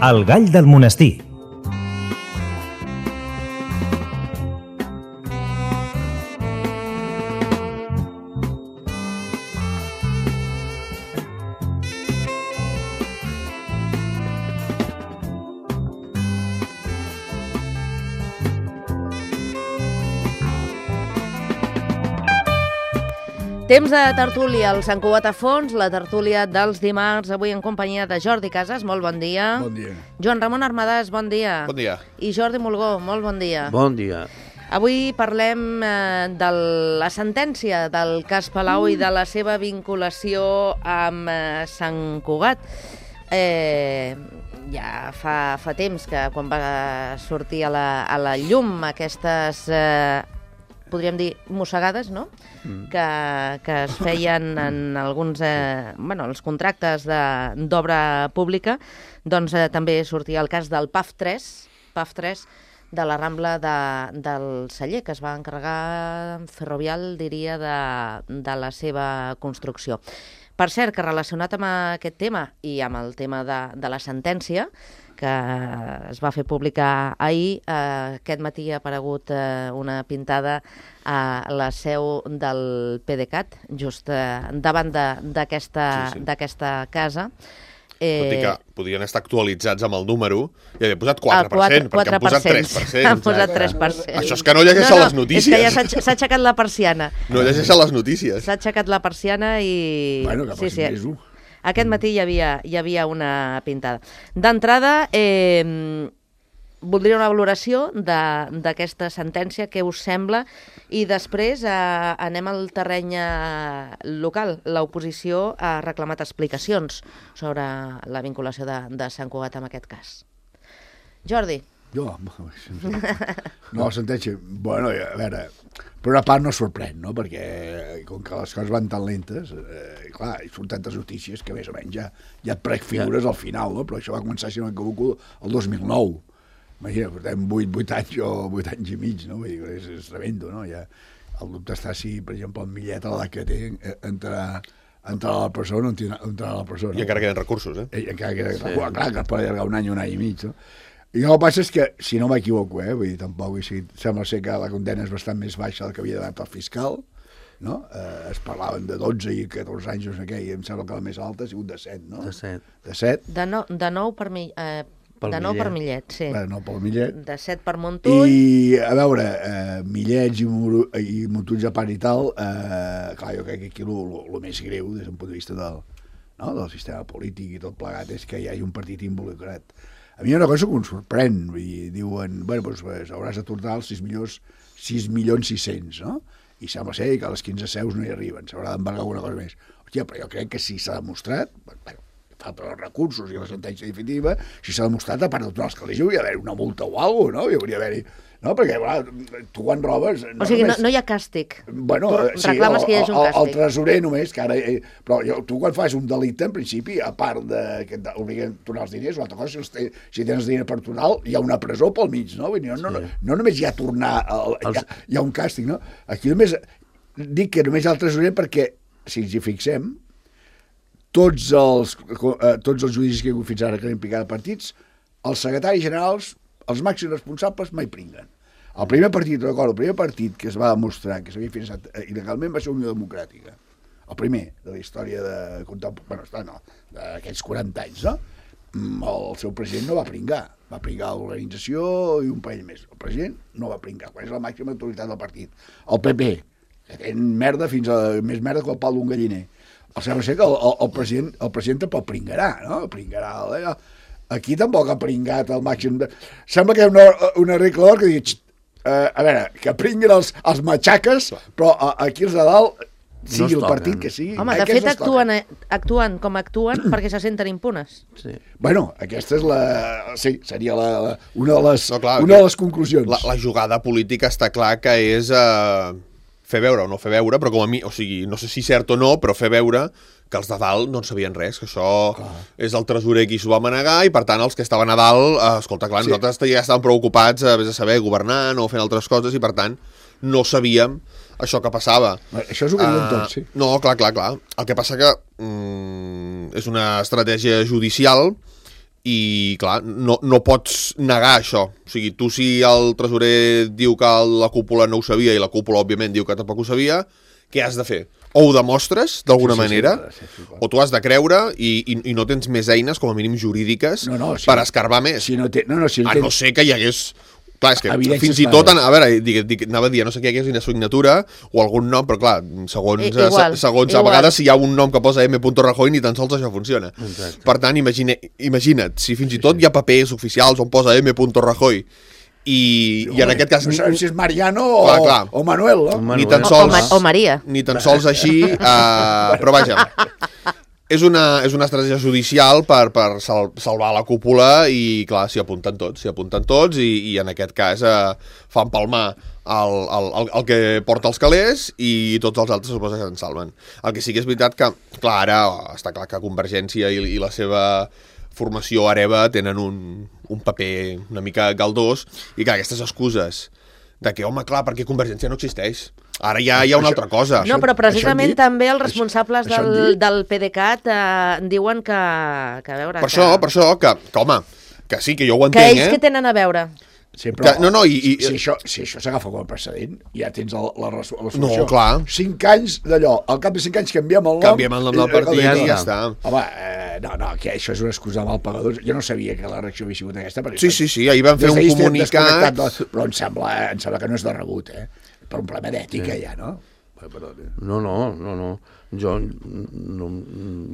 El gall del monestir. Temps de tertúlia al Sant Cugat a Fons, la tertúlia dels dimarts, avui en companyia de Jordi Casas, molt bon dia. Bon dia. Joan Ramon Armadàs, bon dia. Bon dia. I Jordi Mulgó, molt bon dia. Bon dia. Avui parlem de la sentència del cas Palau i de la seva vinculació amb Sant Cugat. Ja fa temps que quan va sortir a la llum aquestes... podríem dir, mossegades, no? Que es feien en alguns els contractes d'obra pública, doncs també sortia el cas del PAF 3 de la Rambla del Celler, que es va encarregar Ferrovial, diria, de la seva construcció. Per cert, que relacionat amb aquest tema i amb el tema de la sentència, que es va fer pública ahir, aquest matí ha aparegut una pintada a la seu del PDeCAT, just davant d'aquesta casa. Tot i que podrien estar actualitzats amb el número i havia posat 4%, perquè han posat 3%. Han posat 3%. Això és que no llegeixen les notícies. És que ja s'ha aixecat la persiana. No llegeixen les notícies. S'ha aixecat la persiana i... Bueno, que passi més-ho. Aquest matí hi havia una pintada. D'entrada, voldria una valoració d'aquesta sentència, què us sembla, i després anem al terreny local. L'oposició ha reclamat explicacions sobre la vinculació de Sant Cugat amb aquest cas. Jordi. Jo? No, la sentència... Bueno, a veure, per una part no sorprèn, no? Perquè com que les coses van tan lentes, clar, hi surten tantes notícies que més o menys ja et prefigures al final, no? Però això va començar, si no m'equivoco, el 2009. Imagina, portem 8 anys o 8 anys i mig, no? Vull dir, és tremendo, no? Ja, el dubte està si, per exemple, el Millet, a l'edat que té, entrarà a la presó o no entrarà a la presó, no? I encara queden recursos, eh? I encara queden recursos. Clar, que es pot allargar un any i mig, no? I el que passa és que, si no m'equivoco, vull dir, tampoc, sembla ser que la condena és bastant més baixa del que havia donat el fiscal, no? Es parlaven de 12 i 14 anys, no sé què, i em sembla que la més alta ha sigut de 7, no? De 7. De 7. De 9 per Millet, sí. No, pel Millet. De 7 per Montull. I, a veure, Millets i Montull a part i tal, clar, jo crec que aquí el més greu, des d'un punt de vista del sistema polític i tot plegat, és que hi hagi un partit involucrat. A mi hi ha una cosa que em sorprèn, diuen, bueno, doncs hauràs de tornar als 6.600.000, no? I sembla ser que a les 15 seus no hi arriben, s'haurà d'embargar alguna cosa més. Hòstia, però jo crec que si s'ha demostrat, bueno, falta els recursos i la sentència definitiva, si s'ha demostrat, a part de tornar als calés, hi hauria d'haver una multa o alguna cosa, no? Hi hauria d'haver-hi... No, perquè, clar, tu quan robes... O sigui, no hi ha càstig. Bueno, sí, reclames que hi hagi un càstig. El tresorer només, que ara... Però tu quan fas un delicte, en principi, a part que t'obliguen a tornar els diners, una altra cosa, si tens diners per tornar, hi ha una presó pel mig, no? No només hi ha tornar, hi ha un càstig, no? Aquí només... Dic que només hi ha el tresorer perquè, si ens hi fixem, tots els judicis que hi ha hagut fins ara que han implicat partits, els secretaris generals, els màxims responsables mai pringuen. El primer partit que es va demostrar que s'havia finançat il·legalment va ser Unió Democràtica. El primer de la història d'aquests 40 anys, no? El seu president no va pringar. Va pringar l'organització i un parell més. El president no va pringar, quan és la màxima autoritat del partit. El PP, que té merda fins a més merda que el pal d'un galliner. Sembla ser que el president tampoc pringarà, no? Pringarà... Aquí tampoc ha pringat el màxim de... Sembla que hi ha una regla d'or que diu, a veure, que pringuen els matxaques, però aquí els de dalt, sigui el partit que sigui... Home, de fet actuen com actuen perquè se senten impunes. Sí. Bueno, aquesta és sí, seria una de les conclusions. La jugada política està clar que és fer veure o no fer veure, però com a mi, o sigui, no sé si cert o no, però fer veure que els de dalt no en sabien res, que això és el tresorer qui s'ho va manegar i, per tant, els que estaven a dalt, escolta, clar, nosaltres ja estàvem preocupats, vés a saber, governant o fent altres coses i, per tant, no sabíem això que passava. Això és el que diuen tots, sí. No, clar. El que passa que és una estratègia judicial i, clar, no pots negar això. O sigui, tu si el tresorer diu que la cúpula no ho sabia i la cúpula, òbviament, diu que tampoc ho sabia, què has de fer? O ho demostres, d'alguna manera, o tu has de creure i no tens més eines, com a mínim jurídiques, per escarbar més. A no ser que hi hagués... Clar, és que fins i tot, a veure, anava a dir, no sé què hi hagués una signatura o algun nom, però clar, segons a vegades si hi ha un nom que posa M. Rajoy, ni tan sols això funciona. Exacte. Per tant, imagina't, si fins i tot hi ha papers oficials on posa M. Rajoy i en aquest cas... No sabem si és Mariano o Manuel, no? Ni tan sols, o Maria. Ni tan sols així, però vaja... És una estratègia judicial per salvar la cúpula i, clar, s'hi apunten tots i en aquest cas fan palmar el que porta els calés i tots els altres suposa que se'n salven. El que sí que és veritat que, clar, ara està clar que Convergència i la seva formació hereva tenen un paper una mica galdós i, clar, aquestes excuses de que, home, clar, perquè Convergència no existeix. Ara ja hi ha una altra cosa. No, però precisament també els responsables del PDeCAT diuen que a veure... Per això, que home, que sí, que jo ho entenc, que ells que tenen a veure... Sí, però si això s'agafa com a precedent, ja tens la solució. No, clar. 5 anys d'allò, al cap de 5 anys canviem el nom. Canviem el nom del partit i ja està. Home, que això és una excusa mal pagador. Jo no sabia que la reacció havia sigut aquesta. Sí, ahir van fer un comunicat... Però em sembla que no és de rebut, per un problema d'ètica ja, no? No.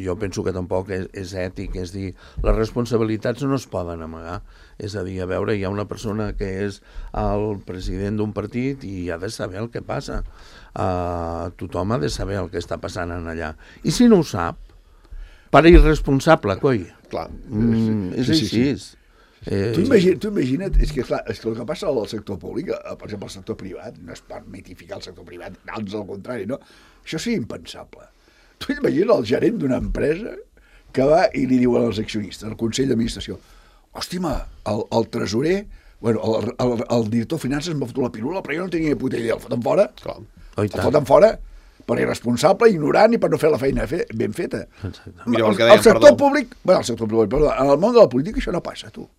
Jo penso que tampoc és ètic, és dir, les responsabilitats no es poden amagar. És a dir, a veure, hi ha una persona que és el president d'un partit i ha de saber el que passa. Tothom ha de saber el que està passant en allà. I si no ho sap, per irresponsable, coi. Clar. És així. Tu imagina't, és que clar, el que passa al sector públic, per exemple al sector privat, no és per mitificar el sector privat, ans al contrari, no? Això sí impensable. Tu imagina't el gerent d'una empresa que va i li diu als accionistes, al Consell d'Administració, hòstima, el tresorer, bueno, el director de finances m'ha fotut la pirula, però jo no tenia puta idea, el foten fora, per irresponsable, ignorant i per no fer la feina ben feta. El sector públic, en el món de la política això no passa, tu.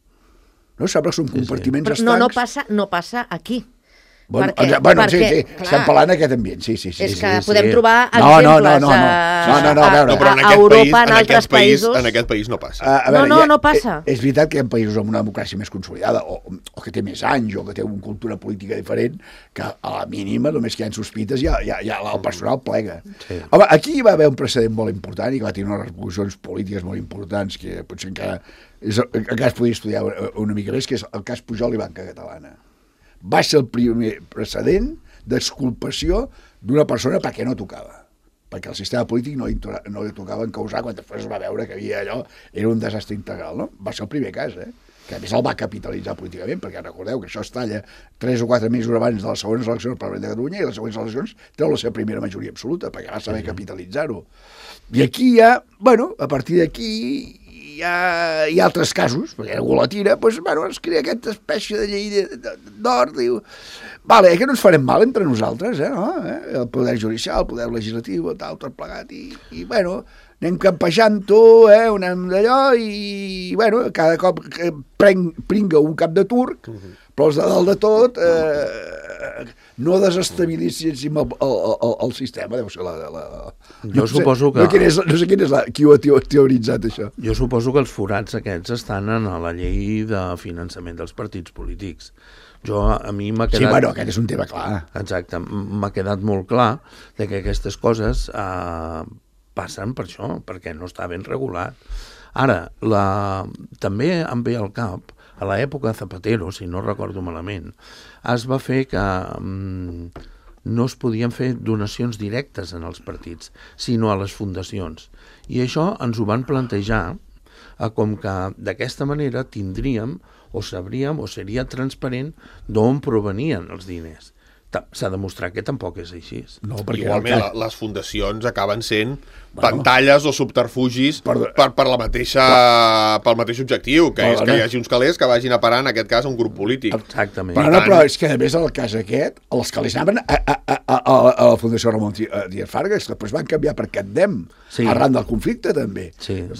No saps que són compartiments estancs. No passa aquí. Sí, estem parlant d'aquest ambient, sí. És que podem trobar exemples a Europa, en altres països. En aquest país no passa. No passa. És veritat que hi ha països amb una democràcia més consolidada, o que té més anys, o que té una cultura política diferent, que a la mínima, només que hi ha sospites, ja el personal plega. Home, aquí hi va haver un precedent molt important i que va tenir unes repercussions polítiques molt importants, que potser encara es podria estudiar una mica més, que és el cas Pujol i Banca Catalana. Va ser el primer precedent d'exculpació d'una persona perquè no tocava. Perquè el sistema polític no li tocava encausar quan després es va veure que era un desastre integral, no? Va ser el primer cas, que a més el va capitalitzar políticament, perquè recordeu que això es talla 3 o 4 mesos abans de les següents eleccions per Parlament de Catalunya i les següents eleccions treu la seva primera majoria absoluta, perquè va saber capitalitzar-ho. I aquí ja, a partir d'aquí hi ha altres casos, perquè algú la tira, es crea aquesta espècie de llei d'or, diu, vale, que no ens farem mal entre nosaltres, el poder judicial, el poder legislatiu, tot plegat, i anem campejant-ho, anem d'allò, i cada cop pringa un cap de turc, però els de dalt de tot no desestabilitzin el sistema, deu ser Jo suposo que... No sé qui ho ha teoritzat, això. Jo suposo que els forats aquests estan en la llei de finançament dels partits polítics. A mi m'ha quedat... Sí, aquest és un tema clar. Exacte, m'ha quedat molt clar que aquestes coses passen per això, perquè no està ben regulat. Ara, també em ve al cap, a l'època Zapatero, si no recordo malament, es va fer que no es podien fer donacions directes en els partits, sinó a les fundacions. I això ens ho van plantejar com que d'aquesta manera tindríem o sabríem o seria transparent d'on provenien els diners. s'ha demostrat que tampoc és així. No, perquè igualment, les fundacions acaben sent pantalles o subterfugis per la mateixa, pel mateix objectiu, que és que hi hagi uns calés que vagin a parar, en aquest cas, a un grup polític. Exactament. Però és que, a més, en el cas aquest, els calés anaven a la Fundació Ramon Díaz Fargas, que després van canviar per CatDem, arran del conflicte, també.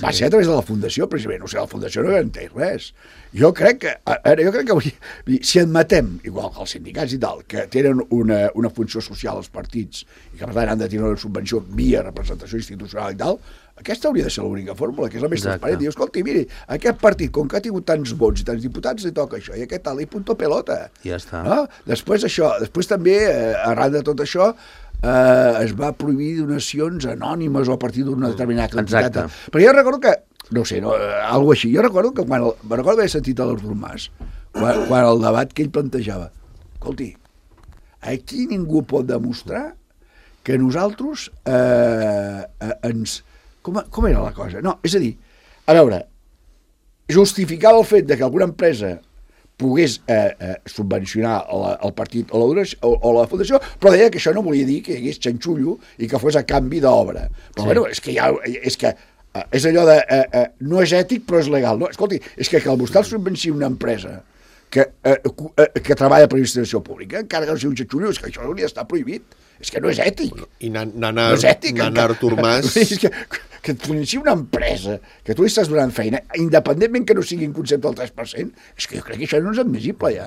Va ser a través de la Fundació, precisament. O sigui, la Fundació no garanteix res. Jo crec que si admetem, igual que els sindicats i tal, que tenen una funció social als partits i que per tant han de tenir una subvenció via representació institucional i tal, aquesta hauria de ser l'única fórmula, que és la més transparent. Diu, escolti, miri, aquest partit, com que ha tingut tants vots i tants diputats, li toca això, i aquest tal, i punto pelota. Ja està. Després això, després també, arran de tot això, es va prohibir donacions anònimes o a partir d'una determinada quantitat. Però jo recordo que, no sé, alguna així, jo recordo que quan haver sentit a l'Artur Mas, quan el debat que ell plantejava, escolti, aquí ningú pot demostrar que nosaltres ens... Com era la cosa? No, és a dir, a veure, justificava el fet de que alguna empresa pogués subvencionar el partit o la fundació, però deia que això no volia dir que hi hagués xanxullo i que fos a canvi d'obra. Però bueno, és que és allò de no és ètic però és legal. No, escolti, és que el vostè subvenci una empresa que treballa per l'administració pública, encara que no sigui un xanxullo, és que això hauria d'estar prohibit. És que no és ètic. I n'anar Artur Mas... Que et financi una empresa, que tu li estàs donant feina, independentment que no sigui en concepte del 3%, és que jo crec que això no és admissible, ja.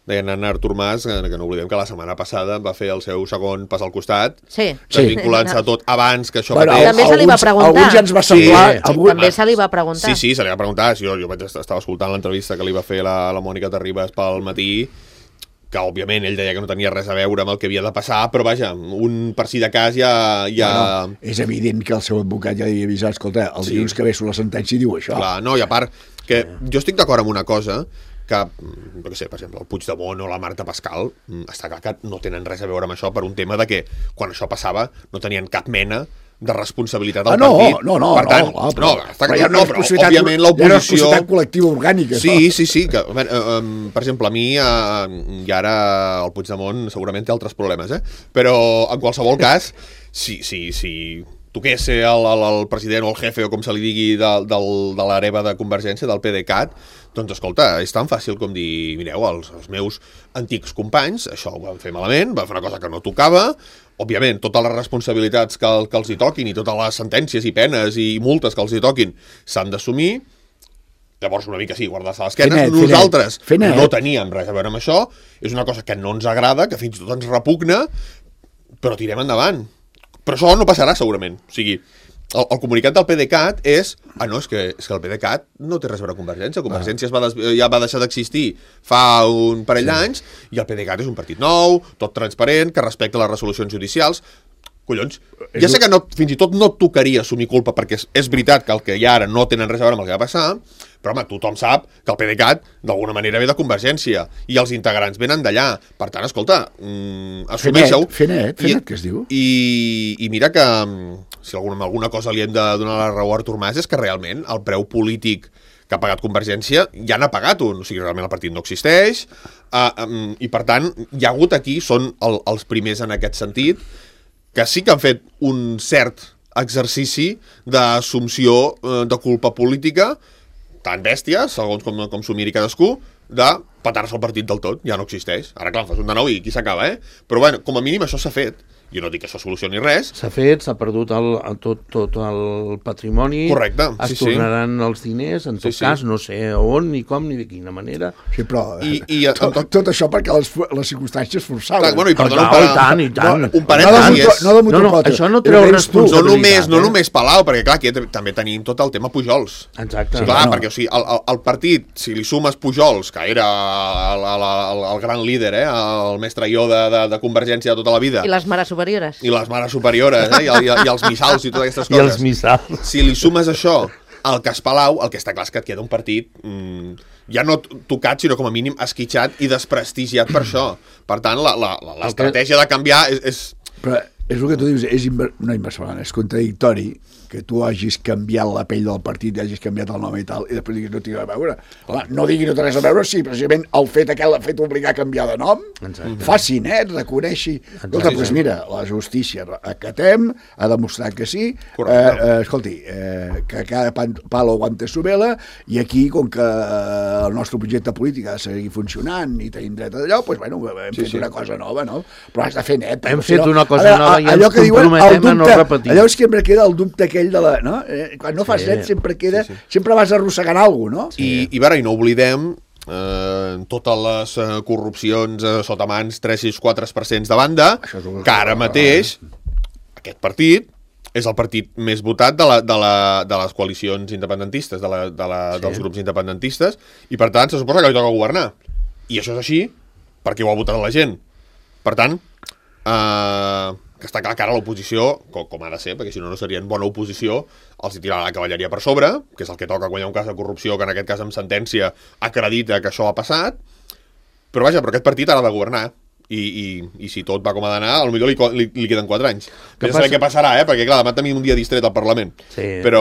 Deien Artur Mas, que no oblidem que la setmana passada va fer el seu segon pas al costat, vinculant-se a tot abans que això mateix. També se li va preguntar. Alguns ja ens va semblar... També se li va preguntar. Sí, se li va preguntar. Jo estava escoltant l'entrevista que li va fer la Mònica Terribas pel matí, que òbviament ell deia que no tenia res a veure amb el que havia de passar, però vaja, per si de cas ja... No, és evident que el seu advocat ja havia avisat, escolta, el dilluns que ve surt la sentència diu això. Clar, no, i a part, que jo estic d'acord amb una cosa, que, no sé, per exemple, el Puigdemont o la Marta Pascal, està clar que no tenen res a veure amb això per un tema de que quan això passava no tenien cap mena de responsabilitat al partit. Per tant, òbviament l'oposició... Hi ha una responsabilitat col·lectiva orgànica. Sí, que, per exemple, a mi, i ara el Puigdemont segurament té altres problemes, però en qualsevol cas, si toqués ser el president o el jefe o com se li digui de l'hereva de Convergència, del PDeCAT, doncs escolta, és tan fàcil com dir, mireu, els meus antics companys, això ho van fer malament, van fer una cosa que no tocava, òbviament, totes les responsabilitats que els hi toquin i totes les sentències i penes i multes que els hi toquin s'han d'assumir. Llavors, una mica sí, guardar-se a l'esquena. Nosaltres no teníem res a veure amb això, és una cosa que no ens agrada, que fins i tot ens repugna, però tirem endavant. Però això no passarà, segurament. O sigui, el comunicat del PDeCAT és que el PDeCAT no té res a veure amb Convergència. Convergència ja va deixar d'existir fa un parell d'anys i el PDeCAT és un partit nou, tot transparent, que respecta les resolucions judicials. Collons, ja sé que fins i tot no et tocaria assumir culpa perquè és veritat que el que hi ha ara no tenen res a veure amb el que va passar, però home, tothom sap que el PDeCAT d'alguna manera ve de Convergència i els integrants venen d'allà. Per tant, escolta, assumeixeu. Fenet, que es diu. I mira que si alguna cosa li hem de donar la raó a Artur Mas és que realment el preu polític que ha pagat Convergència ja n'ha pagat un, o sigui, realment el partit no existeix, i per tant, hi ha hagut aquí, són els primers en aquest sentit, que sí que han fet un cert exercici d'assumpció de culpa política, tan bèstia, segons com s'ho miri cadascú, de petar-se el partit del tot, ja no existeix. Ara, clar, fas un de nou i aquí s'acaba, Però, bueno, com a mínim això s'ha fet. Jo no dic que això solucioni res. S'ha fet, s'ha perdut tot el patrimoni. Correcte, es tornaran els diners, en tot cas, no sé on, ni com, ni de quina manera. Sí, però tot això perquè les circumstàncies forçaven. Clar, bueno, i perdona, i tant. Un parèntesis. Això no treu responsabilitat. No només Palau, perquè clar, aquí també tenim tot el tema Pujols. Exacte. Clar, perquè o sigui, el partit, si li sumes Pujols, que era el gran líder, el mestre Yoda de Convergència de tota la vida. I les mares superiores. I les mares superiores, i els missals i totes aquestes coses. I els missals. Si li sumes això al cas Palau, el que està clar és que et queda un partit ja no tocat, sinó com a mínim esquitxat i desprestigiat per això. Per tant, l'estratègia de canviar és... És el que tu dius, no inversament, és contradictori que tu hagis canviat la pell del partit, hagis canviat el nom i tal, i després diguis no tinc res a veure. Home, no digui no té res a veure, sí, precisament el fet aquell l'ha fet obligar a canviar de nom, faci net, reconeixi. Escolta, doncs mira, la justícia acatem, ha demostrat que sí, escolti, que cada palo aguante su vela, i aquí, com que el nostre projecte polític ha de seguir funcionant i tenim dret a d'allò, doncs bueno, hem fet una cosa nova, no? Però has de fer net. Hem fet una cosa nova i ens comprometem a no repetir. Allò sempre queda el dubte aquell de la... No? Quan no fas net sempre queda... Sempre vas arrossegant alguna cosa, no? I no oblidem totes les corrupcions sota mans 3-4% de banda, que ara mateix aquest partit és el partit més votat de les coalicions independentistes, dels grups independentistes, i per tant se suposa que li toca governar. I això és així perquè ho ha votat la gent. Per tant, que està clar que ara l'oposició, com ha de ser, perquè si no serien bona oposició, els hi tirarà la cavalleria per sobre, que és el que toca quan hi ha un cas de corrupció, que en aquest cas amb sentència acredita que això ha passat, però vaja, però aquest partit ha de governar, i si tot va com ha d'anar, potser li queden 4 anys. No sé què passarà, perquè clar, demà tenim un dia distret al Parlament. Però...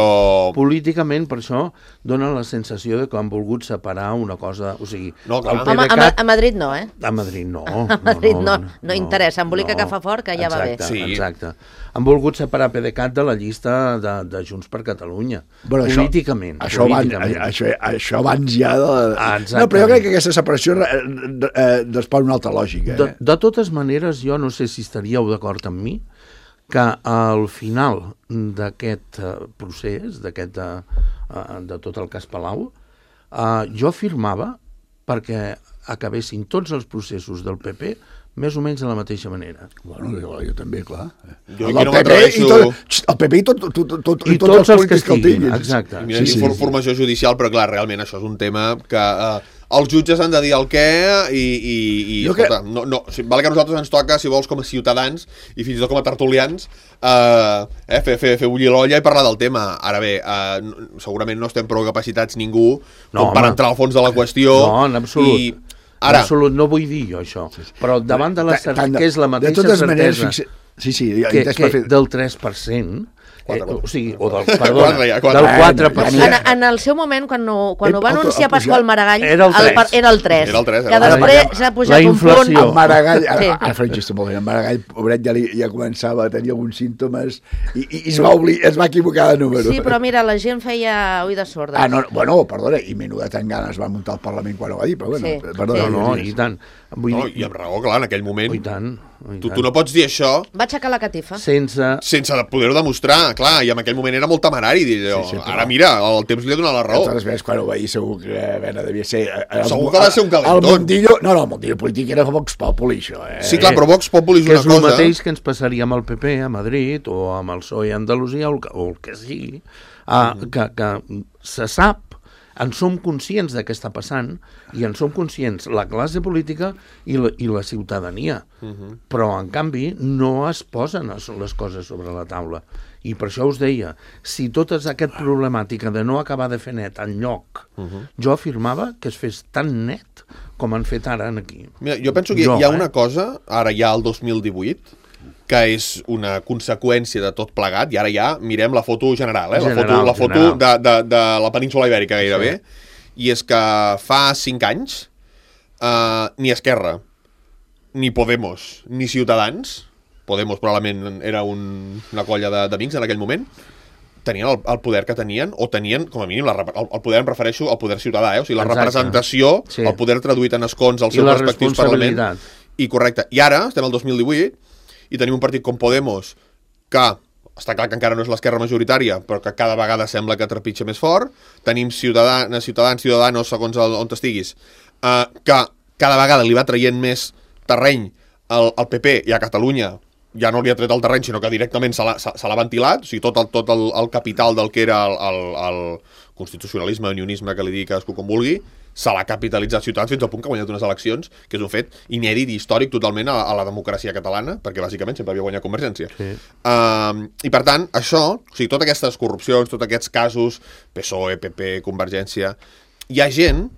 Políticament, per això, dona la sensació de que han volgut separar una cosa... O sigui, a Madrid no, eh? A Madrid no. A Madrid no interessa, embolica que fa fort, que ja va bé. Exacte. Han volgut separar PDeCAT de la llista de Junts per Catalunya. Políticament. Això abans ja de... No, però jo crec que aquesta separació respon una altra lògica. De totes maneres, jo no sé si estaríeu d'acord amb mi que al final d'aquest procés, de tot el cas Palau, jo firmava perquè acabessin tots els processos del PP més o menys de la mateixa manera. Bueno, jo també, clar. El PP i tots els que estiguin, exacte. Formació judicial, però clar, realment això és un tema que els jutges han de dir el què i escolta, val que a nosaltres ens toca, si vols, com a ciutadans i fins i tot com a tertulians, fer bullir l'olla i parlar del tema. Ara bé, segurament no estem prou capacitats ningú per entrar al fons de la qüestió. No, en absolut. Ara, absolut, no vull dir jo això, però davant de la certesa, que és la mateixa certesa que del 3%, o sigui, o del 4%. En el seu moment, quan ho va anunciar Pasqual Maragall, era el 3. Que després s'ha pujat un punt. El Maragall, ara faré un xiste molt bé, el Maragall, pobret, ja començava a tenir alguns símptomes i es va equivocar de número. Sí, però mira, la gent feia oïdes sordes. Bueno, perdona, i Menuda Tangana es va muntar al Parlament quan ho va dir, però bueno, perdona. No, i tant. I amb raó, clar, en aquell moment. I tant. Tu no pots dir això... Va aixecar la catifa. Sense poder-ho demostrar, clar, i en aquell moment era molt temerari dir allò. Ara mira, el temps li ha donat la raó. Totes veces quan ho va dir segur que devia ser... Segur que va ser un calentón. El mundillo polític era Vox Populi, això. Sí, clar, però Vox Populi és una cosa... Que és el mateix que ens passaria amb el PP a Madrid o amb el PSOE a Andalusia o el que sigui, que se sap, en som conscients de què està passant i en som conscients la classe política i la ciutadania. Però, en canvi, no es posen les coses sobre la taula. I per això us deia, si tota aquesta problemàtica de no acabar de fer net enlloc, jo afirmava que es fes tan net com han fet ara aquí. Mira, jo penso que hi ha una cosa, ara ja al 2018, que és una conseqüència de tot plegat, i ara ja mirem la foto general, la foto de la península Ibèrica gairebé, i és que fa 5 anys ni Esquerra, ni Podemos, ni Ciutadans, Podemos probablement era una colla d'amics en aquell moment, tenien el poder que tenien, o tenien, com a mínim, el poder, em refereixo al poder ciutadà, o sigui, la representació, el poder traduït en escons als seus respectius parlaments. I correcte. I ara, estem al 2018, i tenim un partit com Podemos, que està clar que encara no és l'esquerra majoritària, però que cada vegada sembla que trepitja més fort. Tenim Ciutadanos, segons on estiguis, que cada vegada li va traient més terreny al PP, i a Catalunya ja no li ha tret el terreny, sinó que directament se l'ha ventilat, o sigui, tot el capital del que era el constitucionalisme, unionisme, que li digui cadascú com vulgui, se l'ha capitalitzat Ciutadans fins al punt que ha guanyat unes eleccions, que és un fet inèdit i històric totalment a la democràcia catalana, perquè bàsicament sempre havia guanyat Convergència. I per tant, això, o sigui, totes aquestes corrupcions, tots aquests casos, PSOE, PP, Convergència, hi ha gent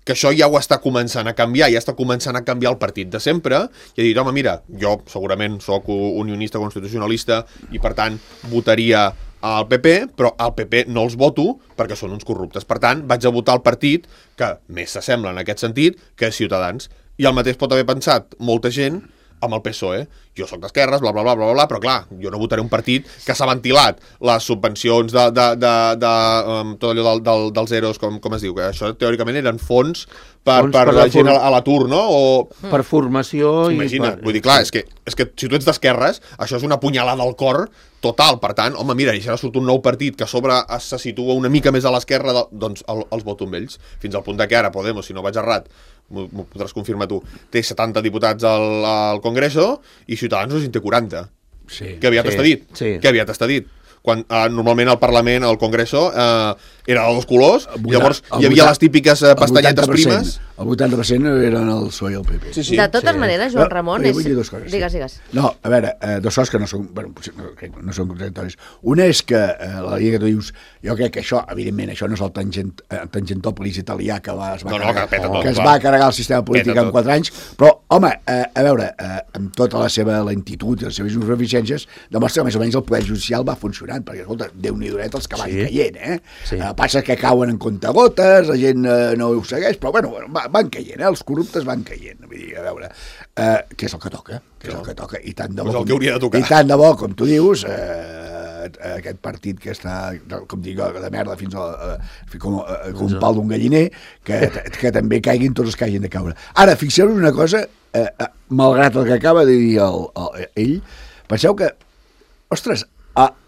que això ja ho està començant a canviar, ja està començant a canviar el partit de sempre, i ha dit, home, mira, jo segurament sóc unionista constitucionalista i per tant votaria al PP, però al PP no els voto perquè són uns corruptes. Per tant, vaig a votar el partit que més s'assembla en aquest sentit que és Ciutadans. I el mateix pot haver pensat molta gent amb el PSOE. Jo sóc d'esquerres, bla, bla, bla, bla, bla, però clar, jo no votaré un partit que s'ha ventilat les subvencions tot allò dels EROs, com es diu, que això teòricament eren fons per la gent a l'atur, no? Per formació Imagina't, vull dir, clar, és que si tu ets d'esquerres, això és una punyalada al cor total, per tant, home, mira, i si ara surt un nou partit que a sobre se situa una mica més a l'esquerra, doncs els voto amb ells, fins al punt que ara Podemos, si no vaig errat, m'ho podràs confirmar tu, té 70 diputats al Congreso i Ciutadans en té 40. Sí, que aviat està dit. Sí. Que aviat està dit. Quan normalment al Parlament, al Congreso, era de dos colors, llavors hi havia les típiques pastanyetes primes. El 80% eren el PSOE i el PP. Sí. De totes maneres, Joan Ramon... Vull dir dues coses. Digues. No, a veure, dues coses que no són, no són contradictòries. Una és que la llei que tu dius, jo crec que això, evidentment, això no és el Tangentòpolis italià que es va carregar el sistema polític en 4 anys, però, home, a veure, amb tota la seva lentitud i les seves insuficiències, demostra que més o menys el poder judicial va funcionant, perquè, escolta, Déu-n'hi-do els que van caient, Sí. Passa que cauen en comptagotes, la gent no ho segueix, però, bueno, van caient, els corruptes van caient, vull dir, a veure, què és el que toca, i tant de bo, el que hauria de tocar. I tant de bo, com tu dius, aquest partit que està, com dic, de merda fins com un pal d'un galliner, que també caiguin tots els que hagin de caure. Ara, fixeu-vos una cosa, malgrat el que acaba de dir ell, penseu que, ostres,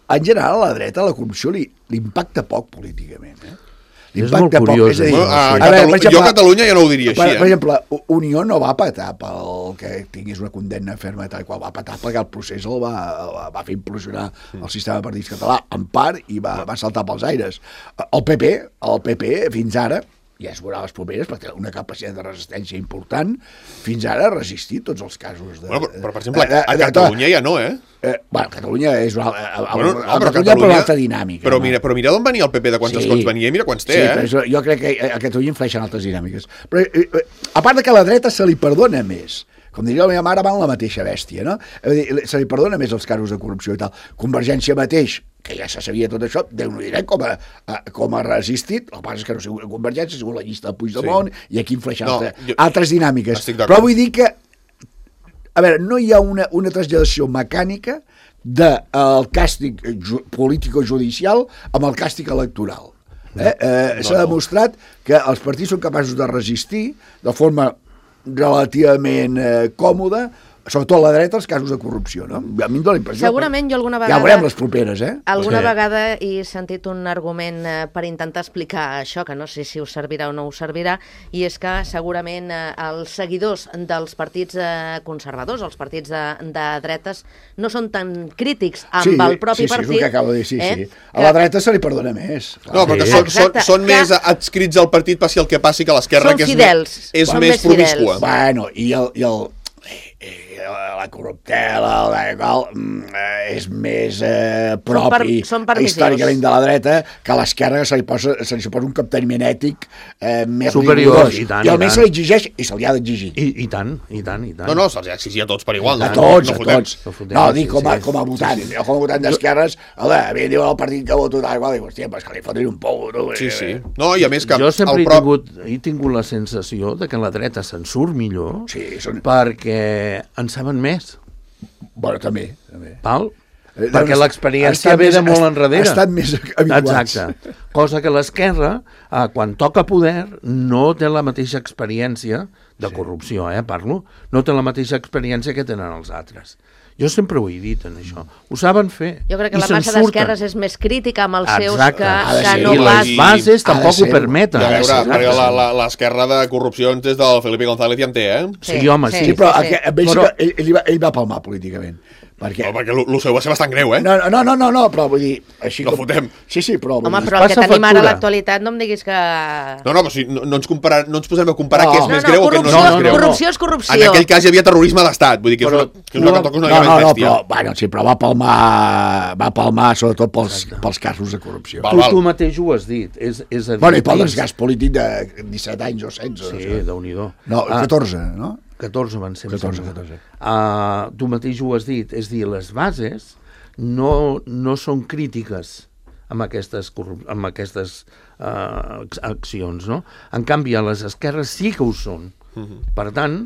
en general a la dreta la corrupció li impacta poc políticament, És molt curiós. Jo a Catalunya ja no ho diria així. Per exemple, Unió no va patar pel que tingués una condemna ferma tal qual, va patar perquè el procés el va fer implosionar el sistema de partits català en part i va saltar pels aires. El PP fins ara, ja es veurà les properes, perquè té una capacitat de resistència important, fins ara ha resistit tots els casos de... Bueno, però per exemple, a Catalunya ja no, Bueno, Catalunya és una Catalunya altra dinàmica. Però mira d'on venia el PP, de quants escons venia, i mira quants té, però jo crec que a Catalunya influeixen altres dinàmiques. Però, a part de que a la dreta se li perdona més, com diria la meva mare, van la mateixa bèstia, no? Se li perdona més els casos de corrupció i tal. Convergència mateix, que ja se sabia tot això, Déu-n'ho diré com ha resistit, el que passa és que no ha sigut Convergència, ha sigut la llista de Puigdemont, i aquí influeixen altres dinàmiques. Però vull dir que, a veure, no hi ha una traslladació mecànica del càstig político-judicial amb el càstig electoral. S'ha demostrat que els partits són capaços de resistir de forma relativament còmoda, sobretot a la dreta, els casos de corrupció, no? A mi em dóna la impressió... Segurament jo alguna vegada... Ja veurem les properes, Alguna vegada he sentit un argument per intentar explicar això, que no sé si us servirà o no us servirà, i és que segurament els seguidors dels partits conservadors, els partits de dretes, no són tan crítics amb el propi partit. Sí, és el que acabo de dir, sí. A la dreta se li perdona més. No, perquè són més adscrits al partit passi el que passi, que l'esquerra, que és més promiscua. Bueno, i la corruptela, és més propi històricament de la dreta, que a l'esquerra se li suposa un capteniment ètic més superior, rigorós. I almenys se li exigeix, i se li ha d'exigir. I tant. No, se'ls ha d'exigir a tots per igual. A tots. No, dic com a votant. Jo com a votant d'esquerres, a mi diuen el partit que voto tal qual, dic, hòstia, però és que li fotin un pou. Sí. No, i a més que... Jo sempre he tingut la sensació de que la dreta se'n surt millor perquè en saben més. Bueno, també. Val? Perquè l'experiència ve de molt enrere. Ha estat més habituats. Exacte. Cosa que l'esquerra, quan toca poder, no té la mateixa experiència de corrupció, parlo, no té la mateixa experiència que tenen els altres. Jo sempre ho he dit, en això. Ho saben fer. Jo crec que la massa d'esquerres és més crítica amb els seus que no pas... I les bases tampoc ho permeten. A veure, perquè l'esquerra de corrupcions des del Felipe González ja en té, Sí, home, sí. Sí, però ell va palmar políticament. Perquè el seu va ser bastant greu, eh? No, però vull dir... Així No fotem. Sí, però... Home, dir, però el que passa tenim ara a factura. l'actualitat no em diguis que... No, però si no ens posem a comparar No. què és més greu o què no és més greu. Corrupció és corrupció. En aquell cas hi havia terrorisme d'estat, vull dir que és una cosa una més bèstia. però va palmar sobretot pels casos de corrupció. Val. Tu mateix ho has dit. És a dir, Bueno, i pel desgast polític de 17 anys o 16. Sí, Déu-n'hi-do. No, 14, no? 14 van ser. 14. Tu mateix ho has dit. És dir, les bases no són crítiques amb aquestes accions, no? En canvi, a les esquerres sí que ho són. Per tant...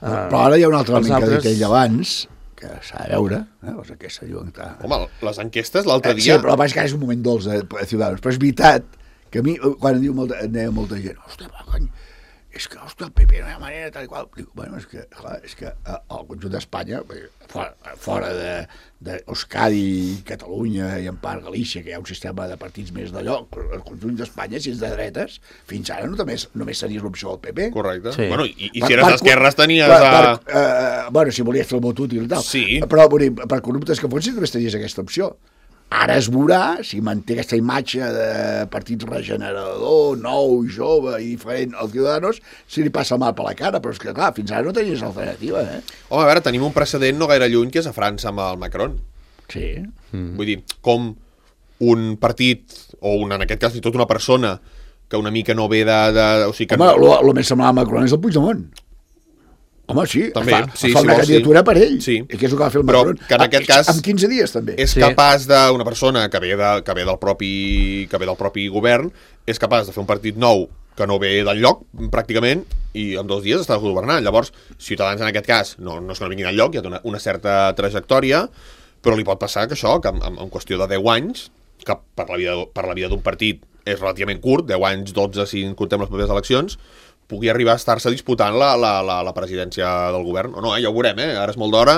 Però ara hi ha un altre element altres... que ha dit ell abans, que s'ha de veure, les enquestes diuen que... Home, les enquestes l'altre Sí, dia... però vaig que és un moment dolç de Ciudadanos. Però és veritat que a mi, quan em deia molta gent, hòstia, cony, és que, hòstia, el PP no hi ha manera, tal i qual. Dic, bueno, és que el conjunt d'Espanya, fora d'Euskadi, Catalunya i en part Galícia, que hi ha un sistema de partits més d'allò, el conjunt d'Espanya, si és de dretes, fins ara només seria l'opció del PP. Correcte. Sí. Bueno, i si eres d'esquerres tenies bueno, si volies fer el vot útil i tal. Sí. Però vull dir, per corruptes que fossin només tenies aquesta opció. Ara es veurà si manté aquesta imatge de partit regenerador, nou, jove i diferent als Ciudadanos, si li passa mal per la cara, però és que, clar, fins ara no tenies alternativa, eh? Home, a veure, tenim un precedent no gaire lluny, que és a França amb el Macron. Sí. Vull dir, com un partit, o en aquest cas, tot una persona, que una mica no ve o sigui que Home, el més semblant a Macron és el Puigdemont. Home, sí, També, es fa una candidatura per ell. Sí. I què és el que va fer el Però Macron? que en aquest cas en 15 dies, també. és capaç d'una persona que ve del propi govern, és capaç de fer un partit nou que no ve del lloc, pràcticament, i en 2 dies està governant. Llavors, Ciutadans, en aquest cas, no és que no vinguin al lloc, hi ha una certa trajectòria, però li pot passar que això, que en qüestió de 10 anys, que per la vida d'un partit és relativament curt, 10 anys, 12, si comptem les properes eleccions, pugui arribar a estar-se disputant la presidència del govern. O no, ja ho veurem, ara és molt d'hora,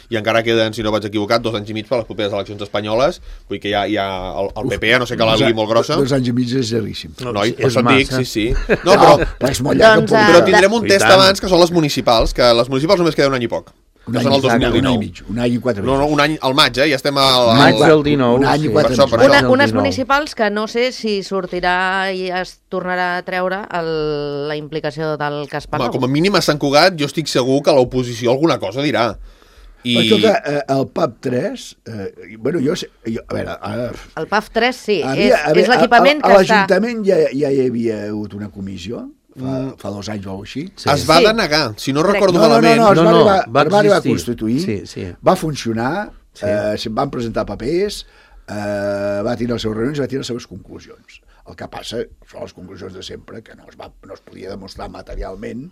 i encara queden, si no vaig equivocat, 2 anys i mig per les properes eleccions espanyoles, vull dir que hi ha el PP, a no sé que l'algui molt grossa. 2 anys i mig és llarguíssim. No, i per és això et dic, massa. sí. No, però és molt llarg. Doncs, però tindrem un I test tant. abans, que són les municipals, que les municipals només queda un any i poc. Un Que any, són el un any i 2019. mig, un any i 4 mesos. No, un any al maig, ja estem al... Maig del 19. Un any i sí. 4 Per això, mesos. per Unes 19. municipals que no sé si sortirà i es tornarà a treure la implicació del cas Home, Palau. com a mínim a Sant Cugat jo estic segur que l'oposició alguna cosa dirà. Però escolta, el PAP 3, bueno, a veure, ara... El PAF 3, sí, és l'equipament que a està... l'Ajuntament ja hi havia hagut una comissió, fa 2 anys o així. Sí. Es va Sí. denegar, si no recordo No, malament. es No, va va arribar a existir. constituir, Sí. va funcionar, Sí. se'n van presentar papers, va tenir les seves reunions i va tenir les seves conclusions. El que passa són les conclusions de sempre, que no es podia demostrar materialment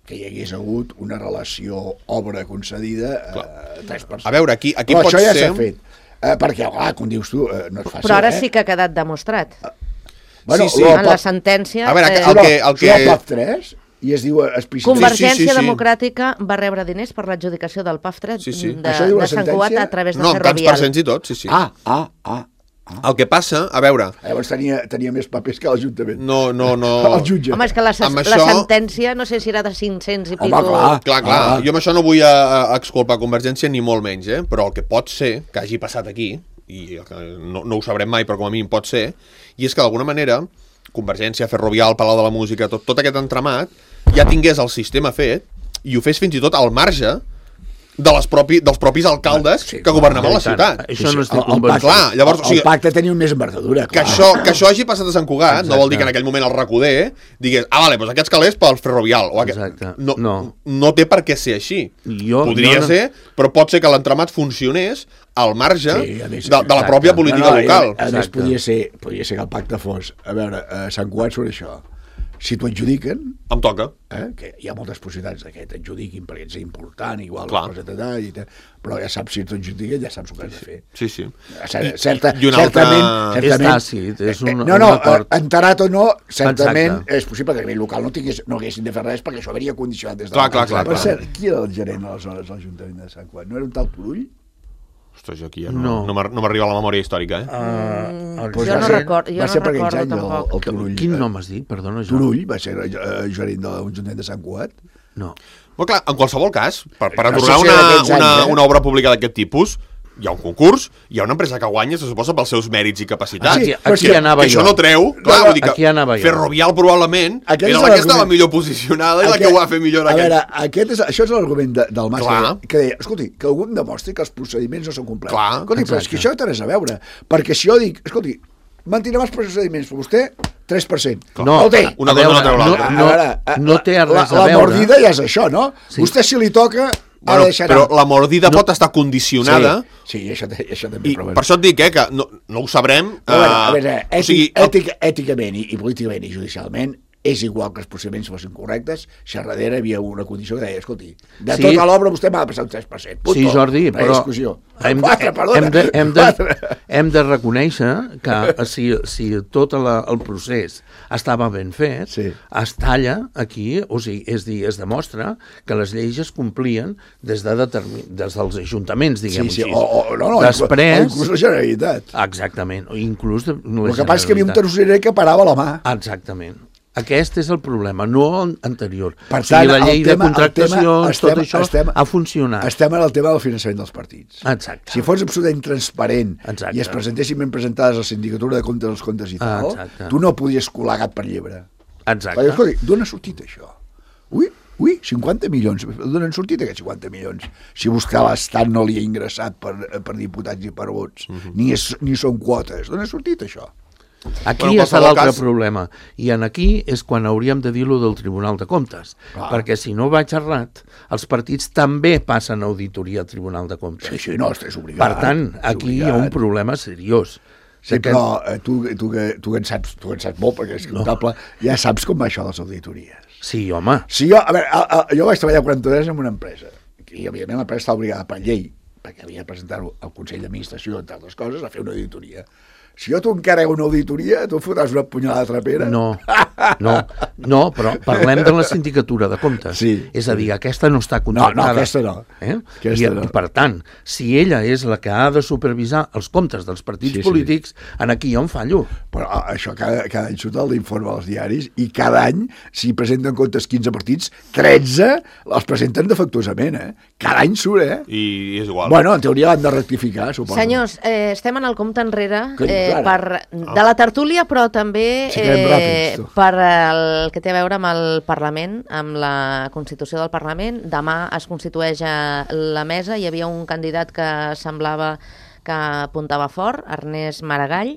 que hi hagués hagut una relació obra concedida a 3 persones. A veure, aquí Però pot això ja ser... s'ha fet. Perquè, clar, com dius tu, no és fàcil. Però ara sí que ha quedat demostrat. Bueno, Sí. En la sentència... A veure, el PAF 3, i es diu explícitament... Convergència Sí. Democràtica va rebre diners per l'adjudicació del PAF 3 Sí. Això diu la de Sant Cugat sentència? a través de No, amb tants Ferrovial. percents i tot, sí. El que passa, a veure... Llavors tenia més papers que l'Ajuntament. No. El jutge. Home, és que la Amb la això- sentència no sé si era de 500 i Home, pico... clar. Jo amb això no vull exculpar Convergència ni molt menys, però el que pot ser que hagi passat aquí, i no ho sabrem mai, però com a mínim pot ser, i és que d'alguna manera Convergència, Ferrovial, Palau de la Música, tot aquest entramat, ja tingués el sistema fet i ho fes fins i tot al marge dels propis alcaldes que governaven la ciutat. Això no estic El convençut. Clar, llavors, o sigui, el pacte tenia més envergadura. que això hagi passat a Sant Cugat no vol dir que en aquell moment el Recoder digués, vale, doncs aquests calés pel Ferrovial. Exacte. No té per què ser així. Jo Podria no- ser, però pot ser que l'entramat funcionés al marge a més, de la exacte. pròpia política local. A més, Exacte. podia ser que el pacte fos... A veure, a Sant Cugat surt això. Si t'ho adjudiquen, Em toca. que hi ha moltes possibilitats que t'adjudiquin perquè ets important, igual, Clar. però ja saps si t'ho adjudiquen, ja saps el que has de fer. Sí. Certament, I una altra- És tàcit, és un no, acord. enterat o no, certament Exacte. és possible que a nivell local no haguessin de fer res perquè això hauria condicionat des de Clar, l'abans. clar, Per clar. cert, qui era el gerent aleshores de l'Ajuntament de Sant Cugat? No era un tal Turull? Ostres, jo aquí ja No. no m'arriba la memòria històrica, Pues Jo va no ser- recordo, va ser per aquells recordo anys tampoc. el Turull. Quin nom has dit? Perdona, jo. Turull va ser gerent de l'Ajuntament de Sant Cugat. No. Però clar, en qualsevol cas, per No atorgar sé si d'aquests anys, una obra pública d'aquest tipus, hi ha un concurs, hi ha una empresa que guanya, se suposa, pels seus mèrits i capacitats. Aquí anava que jo. això no treu, clar, vull dir que aquí anava jo. Ferrovial probablement era la que estava millor posicionada i la que ho va fer millor. A veure, això és l'argument del màster, Clar. que deia, escolti, que algú em demostri que els procediments no són complets. Clar, escolti, però és que això té res a veure, perquè si jo dic, escolti, mantindrem els procediments, però vostè 3%. No, el té. Una cosa no treu l'altra. No té res a La veure. mordida ja és això, no? Sí. Vostè si li toca... Bueno, però la mordida pot estar condicionada Sí, això també. i per això et dic que no ho sabrem. A veure, o sigui, èticament i políticament i judicialment és igual que els procediments fossin correctes, si a darrere hi havia una condició que deia, escolti, de tota l'obra vostè m'ha de passar un 3%. Punto. Sí, Jordi, però hem de reconèixer que si tot el procés estava ben fet, es talla aquí, o sigui, es demostra que les lleis es complien des dels ajuntaments, diguem-ho així. Després... inclús la Generalitat. Exactament, inclús la Generalitat. El que passa és que hi havia un tercerer que parava la mà. Exactament. Aquest és el problema, no anterior. Per tant, la llei de contractació, tot això ha funcionat. Estem en el tema del finançament dels partits. Exacte. Si fos absolutament transparent i es presentessin ben presentades a la sindicatura de comptes dels comptes i tal, tu no podies colar gat per llebre. Exacte. Perquè, escolta, d'on ha sortit això? Ui, 50 milions. D'on han sortit aquests 50 milions? Si vostè l'Estat no li ha ingressat per diputats i per vots, ni són quotes. D'on ha sortit això? Aquí és l'altre problema. I aquí és quan hauríem de dir-lo del Tribunal de Comptes. Perquè si no vaig errat, els partits també passen auditoria al Tribunal de Comptes. Sí, no, estàs obligat. Per tant, aquí hi ha un problema seriós. Sí, però tu que en saps molt, perquè és comptable, ja saps com va això de les auditories. Sí, home. Sí, jo vaig treballar 40 anys en una empresa, i evidentment l'empresa està obligada per llei, perquè havia de presentar-ho al Consell d'Administració, entre altres coses, a fer una auditoria. Si jo t'ho encarrego una auditoria, tu fotràs una punyalada trapera? No, però parlem de la sindicatura de comptes. Sí. És a dir, aquesta no està contractada. No, aquesta no. I per tant, si ella és la que ha de supervisar els comptes dels partits polítics, aquí hi ha un fallo. Però això cada any surt l'informe als diaris i cada any, si presenten comptes 15 partits, 13 els presenten defectuosament, Cada any surt, I és igual. Bueno, en teoria l'han de rectificar, suposo. Senyors, estem en el compte enrere de la tertúlia, però també per el que té a veure amb el Parlament, amb la Constitució del Parlament. Demà es constitueix la mesa, hi havia un candidat que semblava que apuntava fort, Ernest Maragall.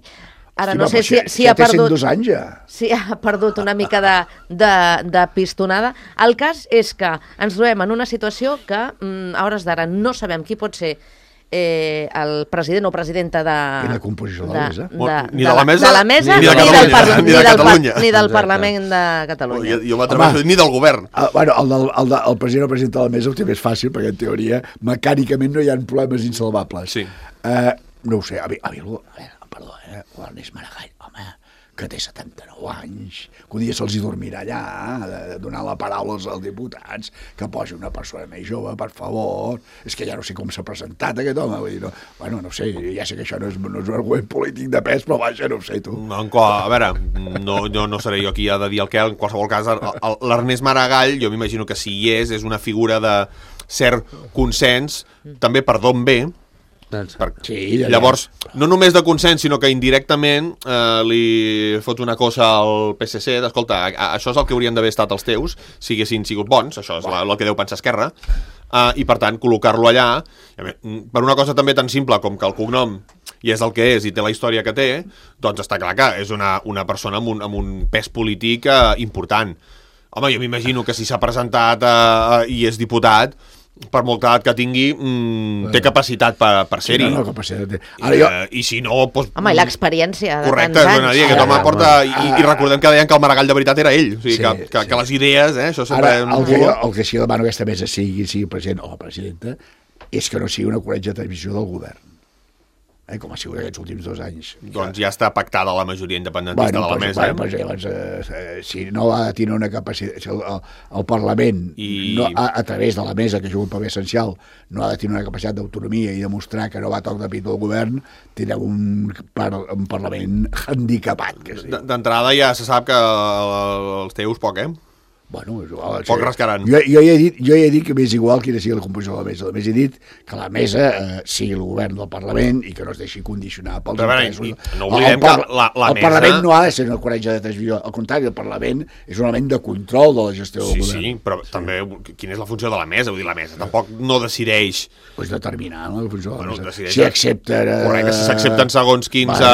Ara no sé si ha perdut... Té 102 anys, ja. Si ha perdut una mica de pistonada. El cas és que ens trobem en una situació que a hores d'ara no sabem qui pot ser el president o presidenta de la composició de la mesa. Ni de la mesa ni de Catalunya. Ni del Parlament de Catalunya. Jo m'atreveixo ni del govern. Bueno, el president o presidenta de la mesa ho té més fàcil, perquè en teoria mecànicament no hi ha problemes insalvables. Sí. No ho sé, perdó, l'Ernest Maragall, home, que té 79 anys, que un dia se'ls hi dormirà allà, de donar la paraula als diputats, que posi una persona més jove, per favor. És que ja no sé com s'ha presentat aquest home. Vull dir, no sé, ja sé que això no és un argument polític de pes, però vaja, no ho sé, tu. A veure, no seré jo qui ha de dir el que, en qualsevol cas, l'Ernest Maragall, jo m'imagino que si hi és una figura de cert consens, també per d'on ve. Llavors, no només de consens, sinó que indirectament li fot una cosa al PSC d'escolta, això és el que haurien d'haver estat els teus si haguessin sigut bons, això és el que deu pensar Esquerra, i per tant col·locar-lo allà per una cosa també tan simple com que el cognom i és el que és i té la història que té, doncs està clar que és una persona amb un pes polític important. Home, jo m'imagino que si s'ha presentat i és diputat, per molta edat que tingui, té capacitat per ser-hi. No, capacitat. I si no... Home, i l'experiència de tants anys. I recordem que deien que el Maragall de veritat era ell. O sigui, que les idees, això sempre... Ara, el que sí demano aquesta mesa sigui president o presidenta, és que no sigui una corretja de televisió del govern. Com ha sigut aquests últims 2 anys. Doncs ja està pactada la majoria independentista de la mesa. Si no ha de tenir una capacitat... El Parlament, a través de la mesa, que juga un paper essencial, no ha de tenir una capacitat d'autonomia i demostrar que no va a toc de pit del govern, tindrem un Parlament handicapat. D'entrada ja se sap que els teus poc, Bueno, és igual. Poc rascaran. Jo ja he dit que m'és igual quina sigui la composició de la mesa. Només he dit que la mesa sigui el govern del Parlament i que no es deixi condicionar pels interessos. No oblidem que la mesa... El Parlament no ha de ser una corretja de transmissió. Al contrari, el Parlament és un element de control de la gestió del govern. Sí, però també quina és la funció de la mesa? Vull dir, la mesa tampoc no decideix... Pues determinar, no? La funció de la mesa. Decideix... Si accepten... Correcte, si s'accepten segons quins...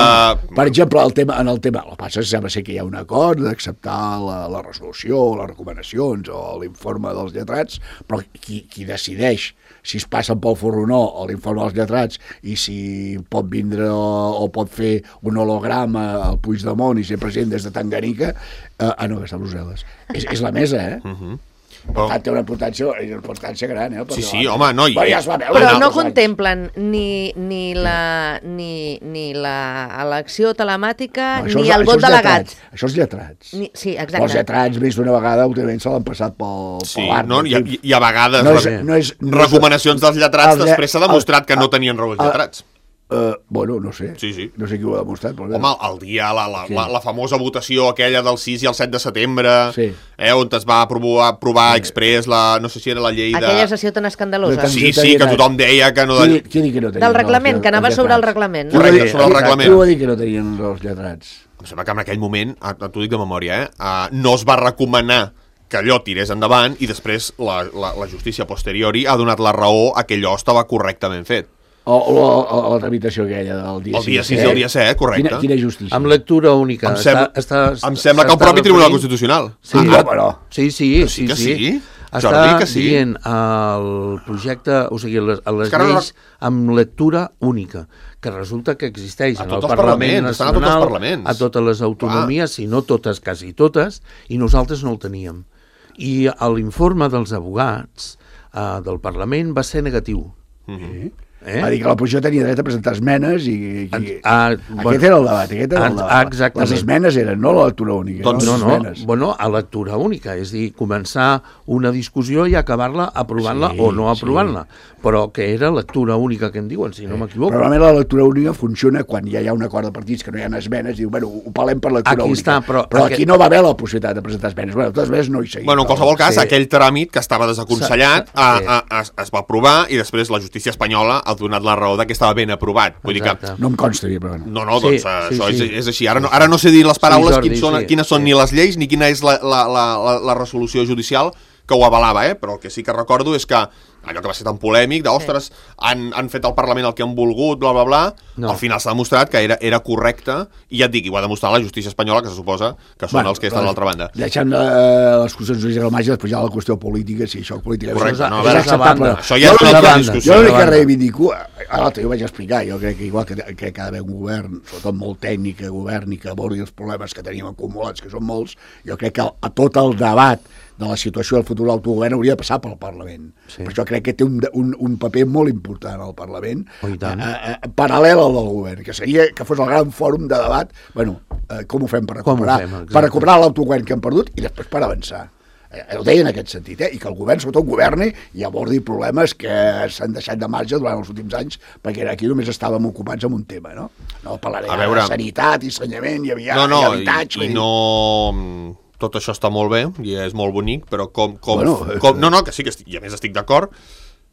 Per exemple, el tema, el que passa és que sembla ser que hi ha un acord d'acceptar la resolució, les recomanacions o l'informe dels lletrats, però qui decideix si es passen pel forro o no l'informe dels lletrats i si pot vindre o pot fer un holograma al Puigdemont i ser president des de Tanganyika, no, que està a Brussel·les. És la mesa, Per tant, té una importància gran, Sí, home, no... Però no contemplen ni l'elecció telemàtica ni el vot delegat. Això és lletrats. Sí, exacte. Els lletrats, més d'una vegada, últimament se l'han passat pel art. No, i a vegades recomanacions dels lletrats després s'ha demostrat que no tenien raó els lletrats. Bueno, no sé. Sí. No sé qui ho ha demostrat. Però home, el dia, la famosa votació aquella del 6 i el 7 de setembre, on es va aprovar exprés no sé si era la llei de... Aquella sessió tan escandalosa. Sí, que tothom deia que no... Qui que no tenia? Del reglament, que anava sobre el reglament. Correcte, sobre el reglament. Qui ho va dir que no tenien els lletrats? Em sembla que en aquell moment, t'ho dic de memòria, no es va recomanar que allò tirés endavant i després la justícia posteriori ha donat la raó a que allò estava correctament fet. O la tramitació aquella del dia 6. El dia 6 i el dia 7, correcte. Quina justícia? Amb lectura única. Em sembla que el propi Tribunal Constitucional. Sí, sí. Jordi, que sí. Està dient el projecte, o sigui, les lleis amb lectura única, que resulta que existeix en el Parlament Nacional, a totes les autonomies, si no totes, quasi totes, i nosaltres no el teníem. I l'informe dels advocats del Parlament va ser negatiu. Va dir que l'oposició tenia dret a presentar esmenes i... Aquest era el debat, exactament. Les esmenes eren, no la lectura única. Doncs no, a lectura única, és dir, començar una discussió i acabar-la aprovant-la o no aprovant-la, però que era lectura única que en diuen, si no m'equivoco. Normalment la lectura única funciona quan ja hi ha un acord de partits que no hi ha esmenes, diu, bueno, ho parlem per lectura única. Però aquí no va haver la possibilitat de presentar esmenes. Bueno, totes esmenes no hi seguim. Bueno, en qualsevol cas, aquell tràmit que estava desaconsellat es va aprovar i després la justícia espanyola ha donat la raó que estava ben aprovat. Vull dir que... No em consta, però bueno. No, doncs això és així. Ara no sé dir les paraules quines són ni les lleis ni quina és la resolució judicial que ho avalava, però el que sí que recordo és que allò que va ser tan polèmic, d'ostres, han fet al Parlament el que han volgut, bla, bla, bla, al final s'ha demostrat que era correcte, i ja et dic, i ho ha demostrat la justícia espanyola, que se suposa que són els que estan a l'altra banda. Deixant les qüestions jurídiques al marge, després hi ha la qüestió política, si això política és acceptable. Això ja és una altra discussió. Jo l'únic que reivindico, jo vaig explicar, jo crec que igual que ha d'haver un govern, sobretot molt tècnic, que governi, que abordi els problemes que tenim acumulats, que són molts, jo crec que a tot el debat de la situació del futur de l'autogovern hauria de passar pel Parlament. Per això crec que té un paper molt important al Parlament, paral·lel al del govern, que seria que fos el gran fòrum de debat, com ho fem per recuperar l'autogovern que hem perdut i després per avançar. Ho deia en aquest sentit, i que el govern sobretot governi i abordi problemes que s'han deixat de marge durant els últims anys, perquè aquí només estàvem ocupats amb un tema, no? No parlaré de sanitat i ensenyament i habitatge. Tot això està molt bé i és molt bonic, però que sí, i a més estic d'acord,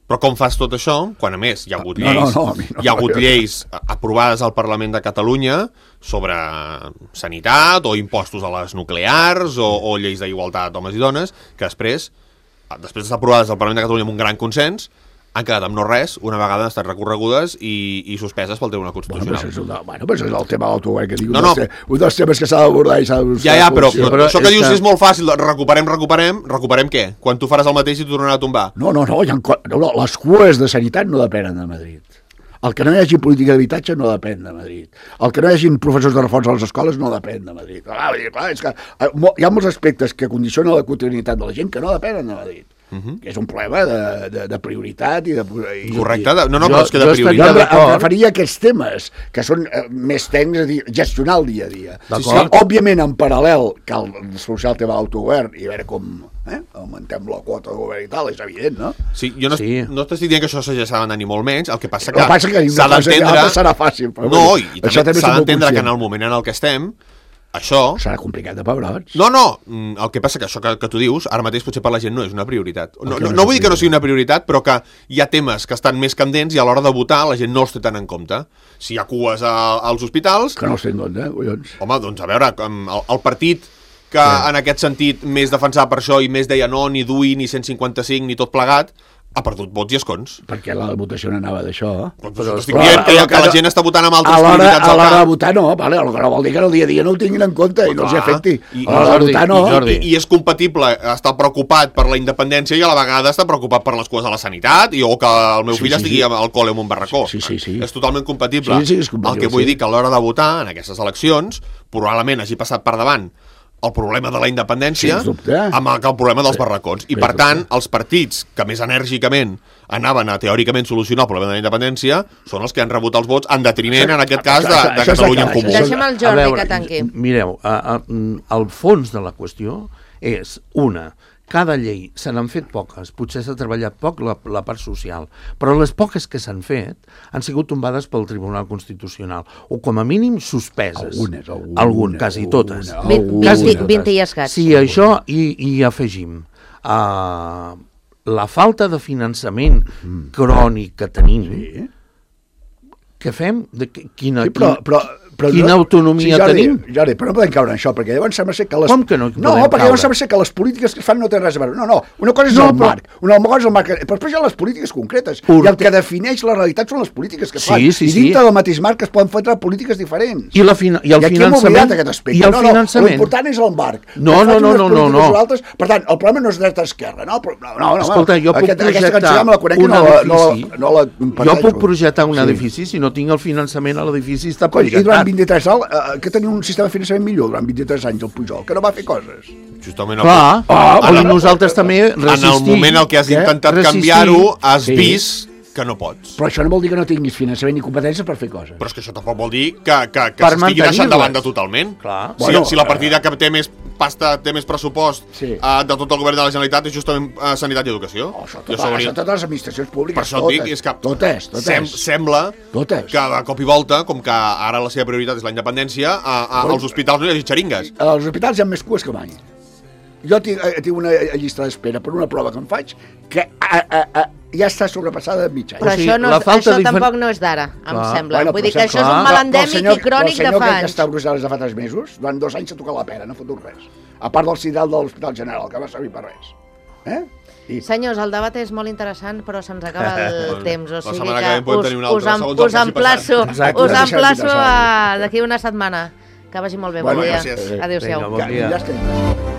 però com fas tot això quan a més hi ha hagut lleis, hi ha hagut lleis aprovades al Parlament de Catalunya sobre sanitat o impostos a les nuclears o lleis d'igualtat d'homes i dones, que després d'estar aprovades al Parlament de Catalunya amb un gran consens, han quedat amb no res, una vegada han estat recorregudes i suspeses pel Tribunal Constitucional. Però això és el tema de l'autogovern que dic, un dels temes que s'ha d'abordar i s'ha de buscar. Però això que dius és molt fàcil, recuperem què? Quan tu faràs el mateix i t'ho tornarà a tombar? No, les cues de sanitat no depenen de Madrid. El que no hi hagi política d'habitatge no depèn de Madrid. El que no hi hagi professors de reforç a les escoles no depèn de Madrid. És que hi ha molts aspectes que condicionen la quotidianitat de la gent que no depenen de Madrid. Que és un problema de prioritat i de... Correcte, però és que de prioritat... Em referia a aquests temes, que són més tècnics, és a dir, gestionar el dia a dia. Òbviament, en paral·lel, cal solucionar el tema de l'autogovern i veure com augmentem la quota de govern i tal, és evident, no? Sí, jo no t'estic dient que això s'ha d'anar ni molt menys, el que passa que s'ha d'entendre... No, i també s'ha d'entendre que en el moment en el que estem això... Serà complicat de pebrots. No, el que passa que això que tu dius, ara mateix potser per la gent no és una prioritat. No vull dir que no sigui una prioritat, però que hi ha temes que estan més candents i a l'hora de votar la gent no els té tant en compte. Si hi ha cues als hospitals... Que no els té en compte, collons. Home, doncs a veure, el partit que en aquest sentit més defensava per això i més deia no, ni DUI, ni 155, ni tot plegat, ha perdut vots i escons. Perquè la votació no anava d'això. Però estic dient que la gent està votant amb altres prioritats a l'hora de votar no, vale, el que no vol dir que el dia a dia no ho tinguin en compte i no els afecti. A l'hora de votar no. I és compatible estar preocupat per la independència i a la vegada estar preocupat per les cues de la sanitat o que el meu fill estigui al col·le en un barracó. Sí. És totalment compatible. Sí, és compatible. El que vull dir que a l'hora de votar en aquestes eleccions probablement hagi passat per davant el problema de la independència amb el problema dels barracons. I, per tant, els partits que més enèrgicament anaven a teòricament solucionar el problema de la independència són els que han rebut els vots en detriment, en aquest cas, de Catalunya en Comú. Deixem el Jordi que tanqui. Mireu, el fons de la qüestió és cada llei se n'han fet poques, potser s'ha treballat poc la part social, però les poques que s'han fet han sigut tombades pel Tribunal Constitucional, o com a mínim suspeses. Algunes, quasi totes. 20 i escaig. Si això hi afegim la falta de finançament crònic que tenim, què fem? Quina autonomia tenim? Jordi, però no podem caure en això, perquè llavors sembla ser que les... Com que no No, perquè llavors sembla ser que les polítiques que es fan no tenen res a veure. No, una cosa és el marc, una cosa és el marc, però després hi ha les polítiques concretes, i el que defineix la realitat són les polítiques que es fan, i dintre del mateix marc es poden fer polítiques diferents. I el finançament? I el finançament? L'important és el marc. No. Per tant, el problema no és dreta-esquerra, no? Escolta, jo puc projectar un edifici si no tinc el finançament a l'edifici està projectat. 23 anys, que tenia un sistema de finançament millor durant 23 anys el Pujol, que no va fer coses. Justament nosaltres també resistim. En el moment en què has intentat canviar-ho, has vist que no pots. Però això no vol dir que no tinguis finançament ni competències per fer coses. Però és que això tampoc vol dir que s'estigui deixant de banda totalment. Si la partida que té més pasta, té més pressupost de tot el govern de la Generalitat és justament sanitat i educació. Això totes les administracions públiques. Per això et dic, és que totes. Sembla que de cop i volta, com que ara la seva prioritat és la independència, als hospitals no hi hagi xeringues. Als hospitals hi ha més cues que mai. Jo tinc una llista d'espera per una prova que em faig que ja està sobrepassada de mig any. Però això tampoc no és d'ara, em sembla. Vull dir que això és un mal endèmic i crònic de fa anys. El senyor que està a Brussel·les de fa 3 mesos, durant 2 anys s'ha tocat la pera, no ha fotut res. A part del CIDAL de l'Hospital General, que va servir per res. Senyors, el debat és molt interessant, però se'ns acaba el temps. O sigui que us emplaço d'aquí una setmana. Que vagi molt bé, bon dia. Adéu-siau. Ja estem.